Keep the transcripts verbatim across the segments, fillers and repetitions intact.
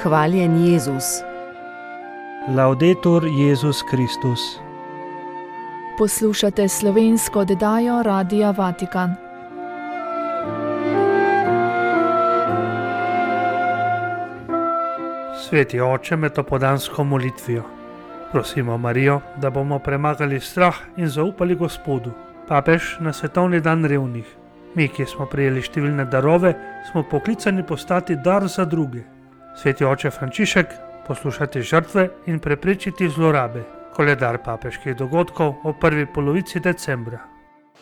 Hvaljen Jezus. Laudetur Jezus Kristus. Poslušate slovensko oddajo Radia Vatikan. Sveti oče med opoldansko molitvijo. Prosimo Marijo, da bomo premagali strah in zaupali Gospodu. Papež na svetovni dan revnih. Mi, ki smo prejeli številne darove, smo poklicani postati dar za druge. Sveti oče Frančišek, poslušati žrtve in preprečiti zlorabe. Koledar papeških dogodkov o prvi polovici decembra.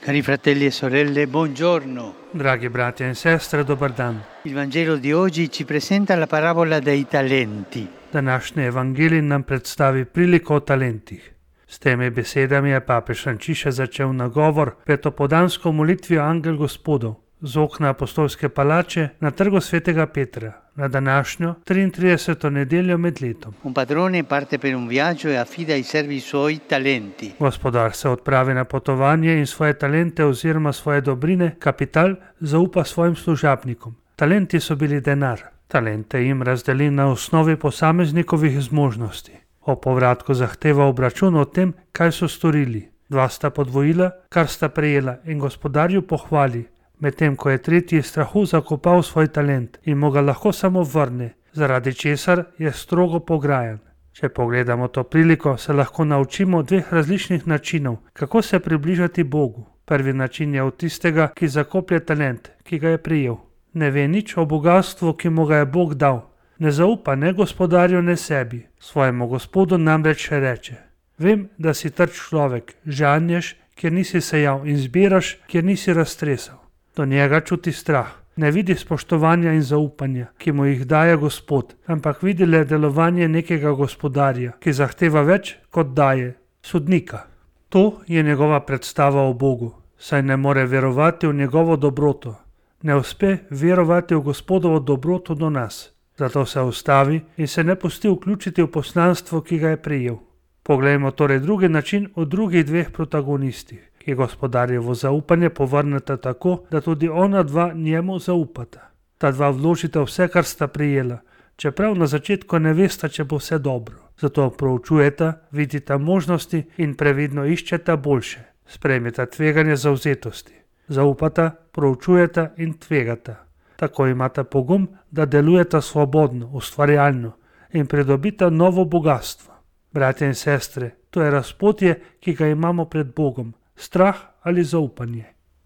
Cari fratelli e sorelle, buongiorno. Dragi bratje in sestre, dober dan. Il Vangelo di oggi ci presenta la parabola dei talenti. Današnji evangelij nam predstavi priliko o talentih. S temi besedami je papež Frančišek začel nagovor pred opoldansko molitvijo Angel Gospodov z okna apostolske palače na trgu svetega Petra na današnjo triintrideseto nedeljo med letom. Un padrone parte per un viaggio e affida ai servi suoi talenti. Gospodar se odpravi na potovanje in svoje talente oziroma svoje dobrine, kapital, zaupa svojim služabnikom. Talenti so bili denar. Talente jim razdeli na osnovi posameznikovih zmožnosti. O povratku zahteva obračun o tem, kaj so storili. Dva sta podvojila, kar sta prejela, in gospodarju pohvali, medtem ko je tretji strahu zakopal svoj talent in mu ga lahko samo vrne, zaradi česar je strogo pograjan. Če pogledamo to priliko, se lahko naučimo dveh različnih načinov, kako se približati Bogu. Prvi način je od tistega, ki zakoplje talent, ki ga je prijel. Ne ve nič o bogastvu, ki mu ga je Bog dal. Ne zaupa ne gospodarju, ne sebi. Svojemu Gospodu namreč reče: vem, da si trd človek, žanješ, kjer nisi sejal, in zbiraš, kjer nisi raztresal. Do njega čuti strah. Ne vidi spoštovanja in zaupanja, ki mu jih daje Gospod, ampak vidi le delovanje nekega gospodarja, ki zahteva več, kot daje, sodnika. To je njegova predstava o Bogu, saj ne more verovati v njegovo dobroto. Ne uspe verovati v Gospodovo dobroto do nas. Zato se ustavi in se ne pusti vključiti v poslanstvo, ki ga je prejel. Poglejmo torej drugi način v drugih dveh protagonistih, ki gospodarjevo zaupanje povrneta tako, da tudi ona dva njemu zaupata. Ta dva vložita vse, kar sta prijela, čeprav na začetku ne vesta, če bo vse dobro. Zato proučujeta, vidita možnosti in previdno iščeta boljše. Sprejmeta tveganje zavzetosti. Zaupata, proučujeta in tvegata. Tako imata pogum, da delujeta svobodno, ustvarjalno in pridobita novo bogatstvo. Bratje in sestre, to je razpotje, ki ga imamo pred Bogom. Strah ali zaupanje.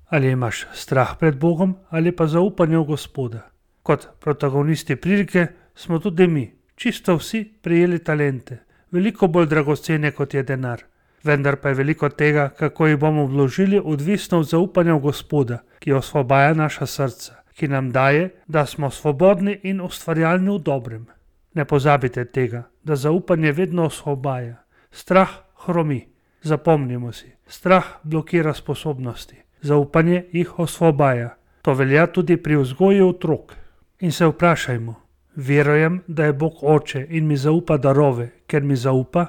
Ali imaš strah pred Bogom ali pa zaupanje v Gospoda. Kot protagonisti prilike smo tudi mi, čisto vsi, prejeli talente. Veliko bolj dragocene, kot je denar. Vendar pa je veliko tega, kako jih bomo vložili, odvisno od zaupanja v Gospoda, ki osvobaja naša srca, ki nam daje, da smo svobodni in ustvarjalni v dobrem. Ne pozabite tega, da zaupanje vedno osvobaja. Strah hromi. Zapomnimo si, strah blokira sposobnosti. Zaupanje jih osvobaja. To velja tudi pri vzgoji otrok. In se vprašajmo, verujem, da je Bog oče in mi zaupa darove, ker mi zaupa?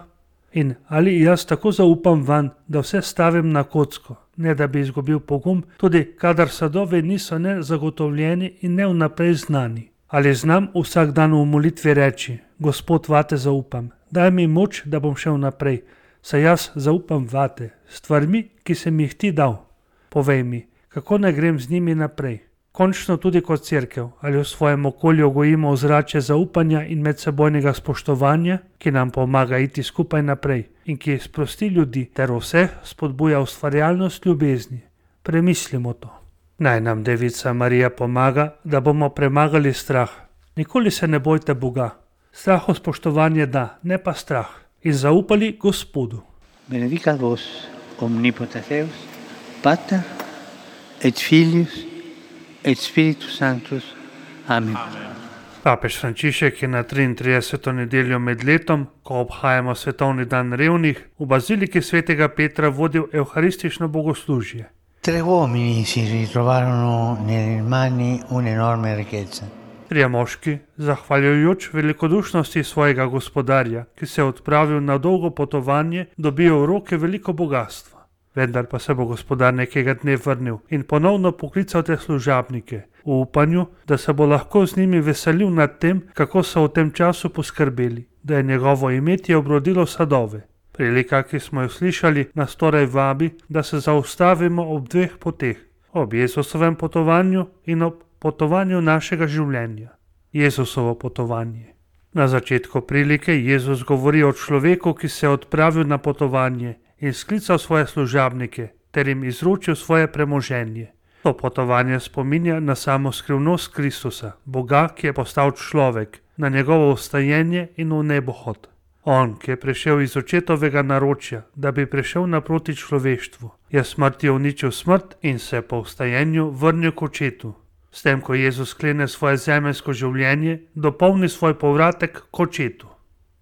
In ali jaz tako zaupam vanj, da vse stavim na kocko, ne da bi izgubil pogum, tudi kadar sadovi niso ne zagotovljeni in ne vnaprej znani. Ali znam vsak dan v molitvi reči: Gospod, vate zaupam, daj mi moč, da bom šel naprej, saj jaz zaupam vate, stvarmi, ki sem jih ti dal. Povej mi, kako naj grem z njimi naprej. Končno tudi kot cerkev, ali v svojem okolju gojimo ozračje zaupanja in medsebojnega spoštovanja, ki nam pomaga iti skupaj naprej in ki sprosti ljudi ter vseh spodbuja ustvarjalnost ljubezni. Premislimo to. Naj nam Devica Marija pomaga, da bomo premagali strah. Nikoli se ne bojte Boga. Straho spoštovanje da, ne pa strah. In zaupali Gospodu. Benedicat vos omnipotens Deus, Pater et Filius et Spiritus Sanctus. Amen. Papež Frančišek je na triintrideseto nedeljo med letom, ko obhajamo svetovni dan revnih, v baziliki svetega Petra vodil evharistično bogoslužje. Tre uomini si ritrovarono nelle mani un'enorme ricchezza. Trije moški, zahvaljujoč velikodušnosti svojega gospodarja, ki se je odpravil na dolgo potovanje, dobijo v roke veliko bogastva. Vendar pa se bo gospodar nekega dne vrnil in ponovno poklical te služabnike, v upanju, da se bo lahko z njimi veselil nad tem, kako so v tem času poskrbeli, da je njegovo imetje obrodilo sadove. Prilika, ki smo jo slišali, nas torej vabi, da se zaustavimo ob dveh poteh, ob Jezusovem potovanju in ob potovanju našega življenja. Jezusovo potovanje. Na začetku prilike Jezus govori o človeku, ki se je odpravil na potovanje in sklical svoje služabnike ter jim izročil svoje premoženje. To potovanje spominja na samo skrivnost Kristusa, Boga, ki je postal človek, na njegovo vstajenje in v nebohod. On, ki je prišel iz očetovega naročja, da bi prišel naproti človeštvu, je smrtjo uničil smrt in se po vstajenju vrnil k očetu. S tem, ko Jezus sklene svoje zemeljsko življenje, dopolni svoj povratek k očetu.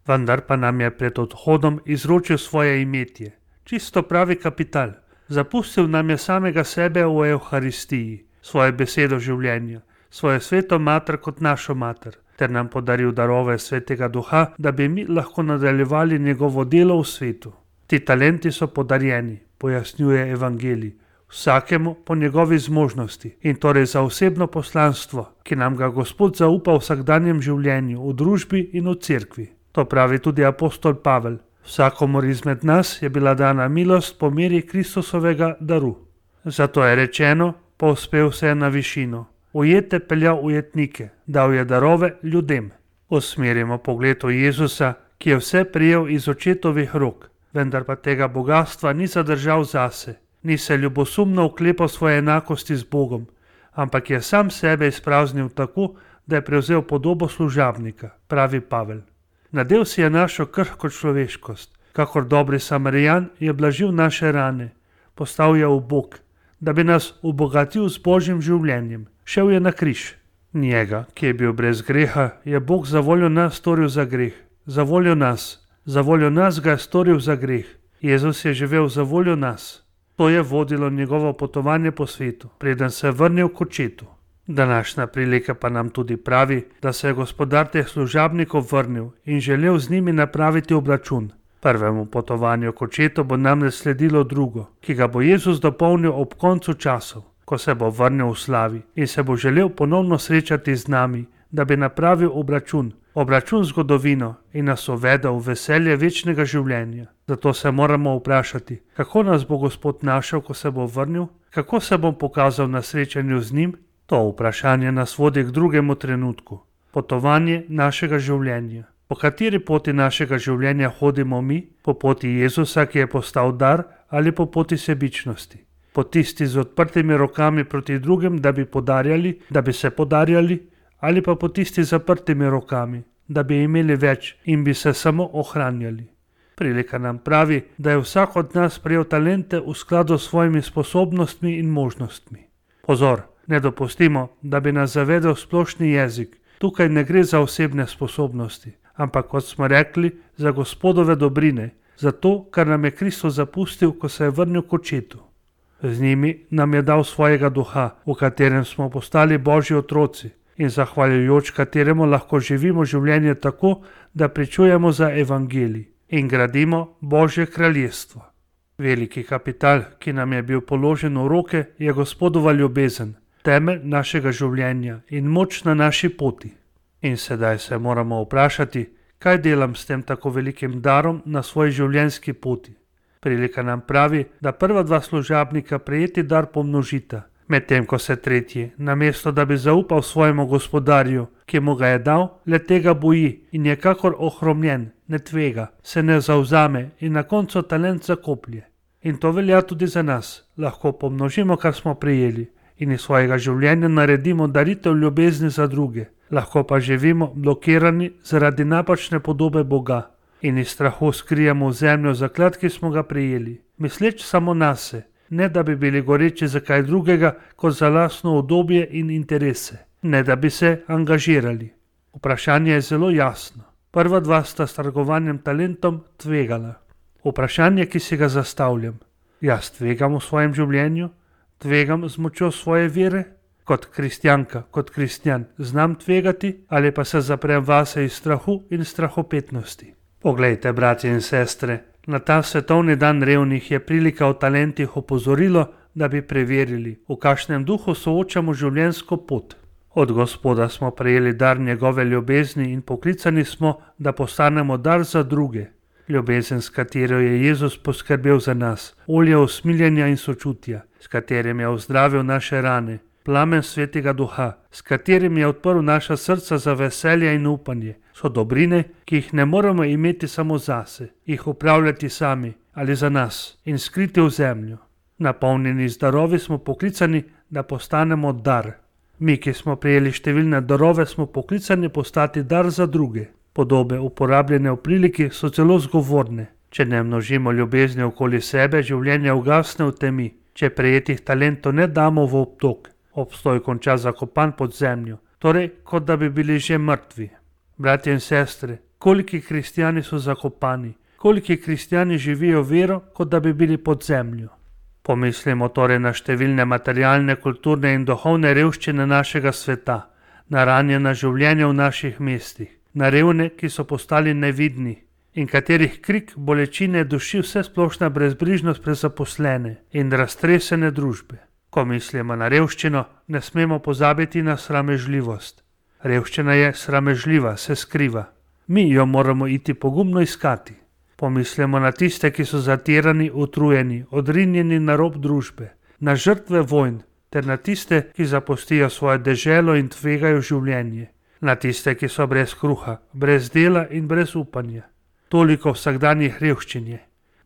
Vendar pa nam je pred odhodom izročil svoje imetje, čisto pravi kapital. Zapustil nam je samega sebe v Evharistiji, svoje besedo življenja, svojo sveto mater kot našo mater, ter nam podaril darove svetega duha, da bi mi lahko nadaljevali njegovo delo v svetu. Ti talenti so podarjeni, pojasnjuje evangelij, vsakemu po njegovi zmožnosti in torej za osebno poslanstvo, ki nam ga Gospod zaupa v vsakdanjem življenju, v družbi in v cerkvi. To pravi tudi apostol Pavel. Vsakomur izmed nas je bila dana milost po meri Kristusovega daru. Zato je rečeno, povzpel se je na višino, ujete peljal ujetnike, dal je darove ljudem. Usmerimo pogled v Jezusa, ki je vse prijel iz očetovih rok, vendar pa tega bogatstva ni zadržal zase. Ni se ljubosumno oklepal svoje enakosti z Bogom, ampak je sam sebe izpraznil tako, da je prevzel podobo služabnika, pravi Pavel. Nadel si je našo krhko človeškost, kakor dobri Samarijan je blažil naše rane, postal je ubog, da bi nas obogatil z Božjim življenjem. Šel je na križ. Njega, ki je bil brez greha, je Bog za voljo nas storil za greh. Za voljo nas. Za voljo nas ga je storil za greh. Jezus je živel za voljo nas. To je vodilo njegovo potovanje po svetu, preden se je vrnil k očetu. Današnja prilika pa nam tudi pravi, da se je gospodar teh služabnikov vrnil in želel z njimi napraviti obračun. Prvemu potovanju k očetu bo namreč sledilo drugo, ki ga bo Jezus dopolnil ob koncu časov, ko se bo vrnil v slavi in se bo želel ponovno srečati z nami, da bi napravil obračun, obračun z zgodovino in nas uvedel v veselje večnega življenja. Zato se moramo vprašati, kako nas bo Gospod našel, ko se bo vrnil, kako se bom pokazal na srečanju z njim. To vprašanje nas vodi k drugemu trenutku, potovanje našega življenja. Po kateri poti našega življenja hodimo mi? Po poti Jezusa, ki je postal dar, ali po poti sebičnosti? Po tisti z odprtimi rokami proti drugim, da bi podarjali, da bi se podarjali, ali pa po tisti z zaprtimi rokami, da bi imeli več in bi se samo ohranjali. Prilika nam pravi, da je vsak od nas prejel talente v skladu s svojimi sposobnostmi in možnostmi. Pozor, ne dopustimo, da bi nas zavedel splošni jezik. Tukaj ne gre za osebne sposobnosti, ampak, kot smo rekli, za Gospodove dobrine, za to, kar nam je Kristus zapustil, ko se je vrnil k očetu. Z njimi nam je dal svojega duha, v katerem smo postali Božji otroci in zahvaljujoč kateremu lahko živimo življenje tako, da pričujemo za evangelij in gradimo Božje kraljestvo. Veliki kapital, ki nam je bil položen v roke, je Gospodova ljubezen, temelj našega življenja in moč na naši poti. In sedaj se moramo vprašati, kaj delam s tem tako velikim darom na svoji življenjski poti. Prilika nam pravi, da prva dva služabnika prejeti dar pomnožita, medtem ko se tretji, namesto da bi zaupal svojemu gospodarju, ki mu ga je dal, le tega boji in je kakor ohromljen, ne tvega, se ne zavzame in na koncu talent zakoplje. In to velja tudi za nas, lahko pomnožimo, kar smo prejeli in iz svojega življenja naredimo daritev ljubezni za druge, lahko pa živimo blokirani zaradi napačne podobe Boga in iz strahu skrijemo v zemljo zaklad, ki smo ga prejeli, misleč samo nase, ne da bi bili goreči za kaj drugega kot za lastno udobje in interese, ne da bi se angažirali. Vprašanje je zelo jasno. Prva dva sta s trgovanjem talentom tvegala. Vprašanje, ki si ga zastavljam, jaz tvegam v svojem življenju, tvegam z močjo svoje vere, kot kristjanka, kot kristjan znam tvegati ali pa se zaprem vase iz strahu in strahopetnosti. Poglejte, bratje in sestre, na ta svetovni dan revnih je prilika o talentih opozorilo, da bi preverili, v kakšnem duhu soočamo življenjsko pot. Od Gospoda smo prejeli dar njegove ljubezni in poklicani smo, da postanemo dar za druge. Ljubezen, s katero je Jezus poskrbel za nas, olje usmiljenja in sočutja, s katerim je ozdravil naše rane, plamen Svetega Duha, s katerim je odprl naša srca za veselje in upanje, so dobrine, ki jih ne moremo imeti samo zase, jih upravljati sami ali za nas in skriti v zemljo. Napolnjeni z darovi smo poklicani, da postanemo dar. Mi, ki smo prejeli številne darove, smo poklicani postati dar za druge. Podobe, uporabljene v priliki, so zelo zgovorne. Če ne množimo ljubezni okoli sebe, življenje ugasne v temi. Če prejetih talentov ne damo v obtok, obstoj konča zakopan pod zemljo, torej kot da bi bili že mrtvi. Bratje in sestre, koliki kristjani so zakopani, koliki kristjani živijo vero, kot da bi bili pod zemljo. Pomislimo torej na številne materialne, kulturne in duhovne revščine našega sveta, na ranjena življenja v naših mestih, na revne, ki so postali nevidni in katerih krik bolečine duši vsesplošna brezbrižnost prezaposlene in raztresene družbe. Ko mislimo na revščino, ne smemo pozabiti na sramežljivost. Revščina je sramežljiva, se skriva. Mi jo moramo iti pogumno iskati. Pomislimo na tiste, ki so zatirani, utrujeni, odrinjeni na rob družbe, na žrtve vojn, ter na tiste, ki zapustijo svoje deželo in tvegajo življenje, na tiste, ki so brez kruha, brez dela in brez upanja. Toliko vsakdanjih revščinje.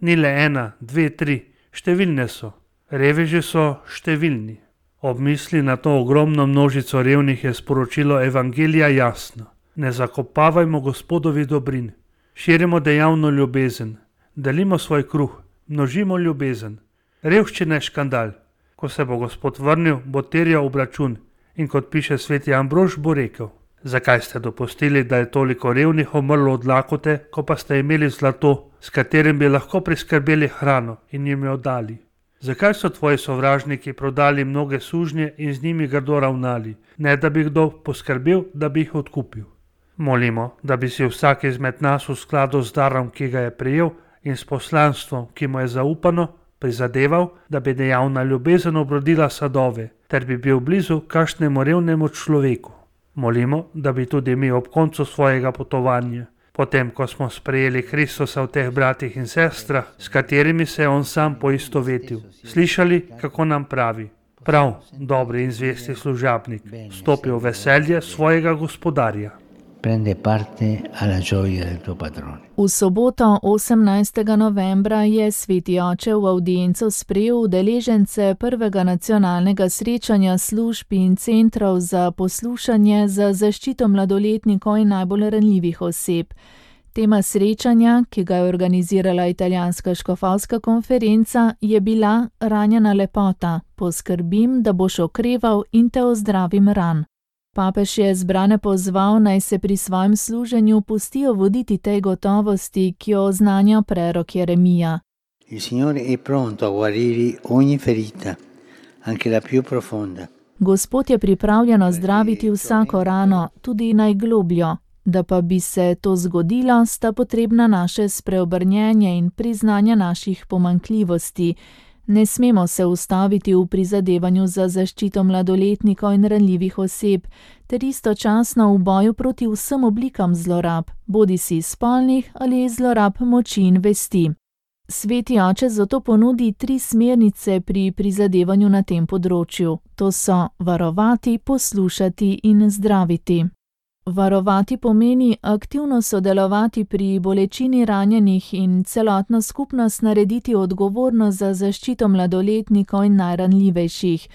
Ni le ena, dve, tri, številne so. Reveži so številni. Ob misli na to ogromno množico revnih je sporočilo Evangelija jasno. Ne zakopavajmo Gospodovi dobrin. Širimo dejavno ljubezen. Delimo svoj kruh. Množimo ljubezen. Revščina je škandal. Ko se bo Gospod vrnil, bo terjal obračun. In kot piše sveti Ambrož, bo rekel: zakaj ste dopustili, da je toliko revnih umrlo od lakote, ko pa ste imeli zlato, s katerim bi lahko priskrbeli hrano in jim jo dali? Zakaj so tvoji sovražniki prodali mnoge sužnje in z njimi grdo ravnali, ne da bi kdo poskrbel, da bi jih odkupil? Molimo, da bi si vsak izmed nas v skladu z darom, ki ga je prejel, in s poslanstvom, ki mu je zaupano, prizadeval, da bi dejavna ljubezen obrodila sadove, ter bi bil blizu kakšnemu revnemu človeku. Molimo, da bi tudi mi ob koncu svojega potovanja, potem ko smo sprejeli Kristusa v teh bratih in sestrah, s katerimi se je on sam poistovetil, slišali, kako nam pravi: prav, dobri in zvesti služabnik, stopi v veselje svojega gospodarja. Prende parte alla gioia del tuo padrone. V soboto osemnajstega novembra je sveti oče v avdienco sprejel udeležence prvega nacionalnega srečanja služb in centrov za poslušanje za zaščito mladoletnikov in najbolj ranljivih oseb. Tema srečanja, ki ga je organizirala italijanska škofovska konferenca, je bila Ranjena lepota. Poskrbim, da boš okreval in te ozdravim ran. Papež je zbrane pozval, naj se pri svojem služenju pustijo voditi tej gotovosti, ki jo oznanja prerok Jeremija. Il Signore è pronto a guarire ogni ferita, anche la più profonda. Gospod je pripravljen zdraviti vsako rano, tudi najglobljo. Da pa bi se to zgodilo, sta potrebna naše spreobrnjenje in priznanje naših pomanjkljivosti. Ne smemo se ustaviti v prizadevanju za zaščito mladoletnikov in ranljivih oseb, ter istočasno v boju proti vsem oblikam zlorab, bodisi spolnih ali zlorab moči in vesti. Sveti oče zato ponudi tri smernice pri prizadevanju na tem področju. To so varovati, poslušati in zdraviti. Varovati pomeni aktivno sodelovati pri bolečini ranjenih in celotno skupnost narediti odgovorno za zaščito mladoletnikov in najranljivejših.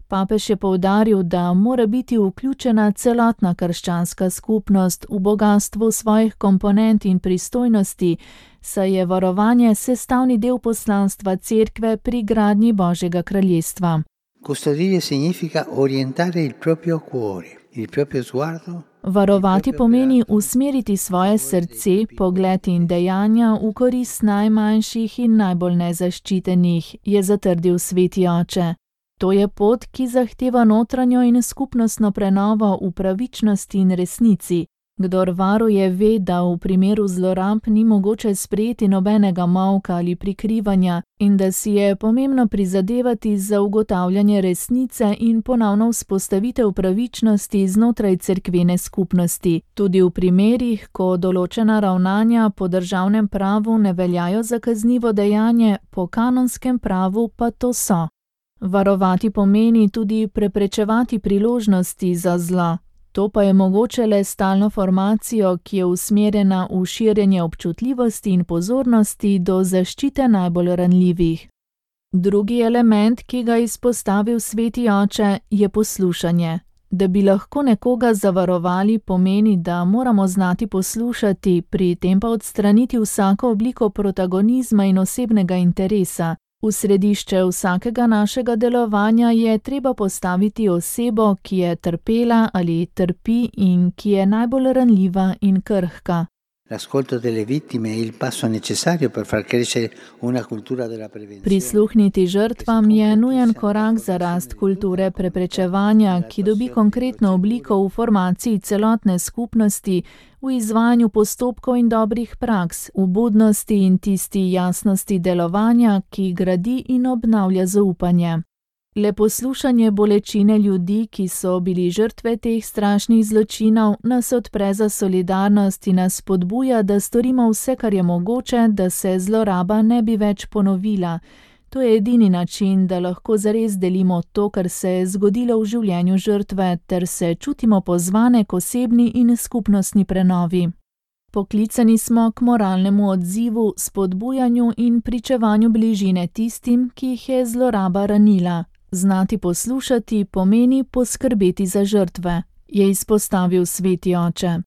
Papež je poudaril, da mora biti vključena celotna krščanska skupnost v bogastvu svojih komponent in pristojnosti, saj je varovanje sestavni del poslanstva Cerkve pri gradnji Božjega kraljestva. Custodire significa orientare il proprio cuore, il proprio sguardo. Varovati pomeni usmeriti svoje srce, pogled in dejanja v korist najmanjših in najbolj nezaščitenih, je zatrdil sveti oče. To je pot, ki zahteva notranjo in skupnostno prenovo v pravičnosti in resnici. Kdor varuje, ve, da v primeru zlorab ni mogoče sprejeti nobenega molka ali prikrivanja in da si je pomembno prizadevati za ugotavljanje resnice in ponovno vzpostavitev pravičnosti znotraj cerkvene skupnosti, tudi v primerih, ko določena ravnanja po državnem pravu ne veljajo za kaznivo dejanje, po kanonskem pravu pa to so. Varovati pomeni tudi preprečevati priložnosti za zlo. To pa je mogoče le s stalno formacijo, ki je usmerjena v širjenje občutljivosti in pozornosti do zaščite najbolj ranljivih. Drugi element, ki ga izpostavil Sveti oče, je poslušanje. Da bi lahko nekoga zavarovali, pomeni, da moramo znati poslušati, pri tem pa odstraniti vsako obliko protagonizma in osebnega interesa. V središče vsakega našega delovanja je treba postaviti osebo, ki je trpela ali trpi in ki je najbolj ranljiva in krhka. L'ascolto delle vittime è il passo necessario per far crescere una cultura della prevenzione. Prisluhniti žrtvam je nujen korak za rast kulture preprečevanja, ki dobi konkretno obliko v formaciji celotne skupnosti, v izvajanju postopkov in dobrih praks, v budnosti in tisti jasnosti delovanja, ki gradi in obnavlja zaupanje. Le poslušanje bolečine ljudi, ki so bili žrtve teh strašnih zločinov, nas odpre za solidarnost in nas spodbuja, da storimo vse, kar je mogoče, da se zloraba ne bi več ponovila. To je edini način, da lahko zares delimo to, kar se je zgodilo v življenju žrtve, ter se čutimo pozvane k osebni in skupnostni prenovi. Poklicani smo k moralnemu odzivu, spodbujanju in pričevanju bližine tistim, ki jih je zloraba ranila. Znati poslušati pomeni poskrbeti za žrtve, je izpostavil Sveti oče.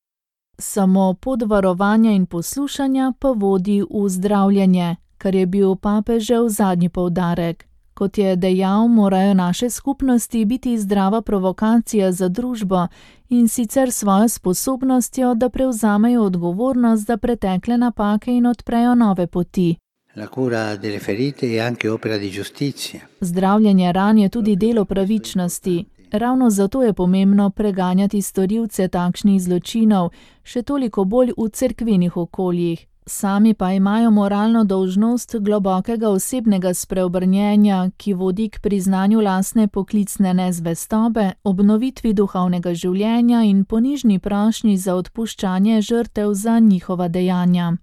Samo pot varovanja in poslušanja pa vodi v zdravljenje, kar je bil papežev zadnji poudarek. Kot je dejal, morajo naše skupnosti biti zdrava provokacija za družbo in sicer svojo sposobnostjo, da prevzamejo odgovornost za pretekle napake in odprejo nove poti. La cura delle ferite è anche opera di giustizia. Zdravljenje ran je tudi delo pravičnosti. Ravno zato je pomembno preganjati storilce takšnih zločinov, še toliko bolj v cerkvenih okoljih. Sami pa imajo moralno dolžnost globokega osebnega spreobrnjenja, ki vodi k priznanju lastne poklicne nezvestobe, obnovitvi duhovnega življenja in ponižni prošnji za odpuščanje žrtev za njihova dejanja.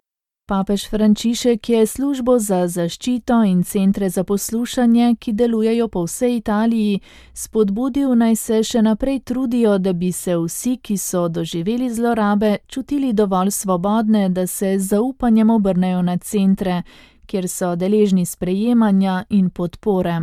Papež Frančišek je službo za zaščito in centre za poslušanje, ki delujejo po vsej Italiji, spodbudil, naj se še naprej trudijo, da bi se vsi, ki so doživeli zlorabe, čutili dovolj svobodne, da se z zaupanjem obrnejo na centre, kjer so deležni sprejemanja in podpore.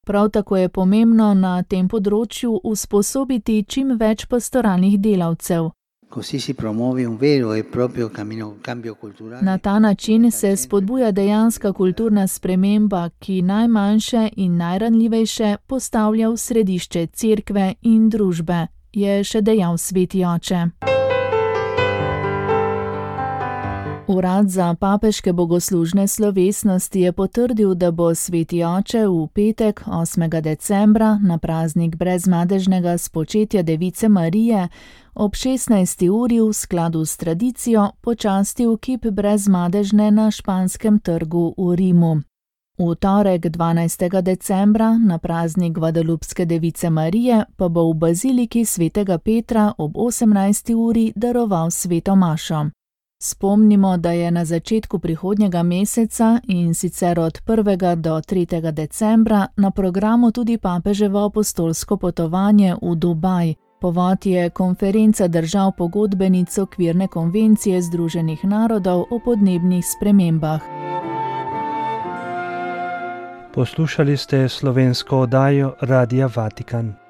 Prav tako je pomembno na tem področju usposobiti čim več pastoralnih delavcev. Così si promuove un vero e proprio cammino, cambio culturale. Na ta način se spodbuja dejanska kulturna sprememba, ki najmanjše in najranljivejše postavlja v središče cerkve in družbe, je še dejal Sveti oče. Urad za papeške bogoslužne slovesnosti je potrdil, da bo Sveti oče v petek, osmega decembra, na praznik brezmadežnega spočetja Device Marije, ob šestnajsti uri v skladu s tradicijo počastil kip brezmadežne na Španskem trgu v Rimu. V torek, dvanajstega decembra, na praznik Gvadalupske Device Marije, pa bo v baziliki svetega Petra ob osemnajsti uri daroval sveto mašo. Spomnimo, da je na začetku prihodnjega meseca, in sicer od prvega do tretjega decembra, na programu tudi papeževo apostolsko potovanje v Dubaj. Povod je konferenca držav pogodbenic okvirne konvencije Združenih narodov o podnebnih spremembah. Poslušali ste slovensko oddajo Radia Vatikan.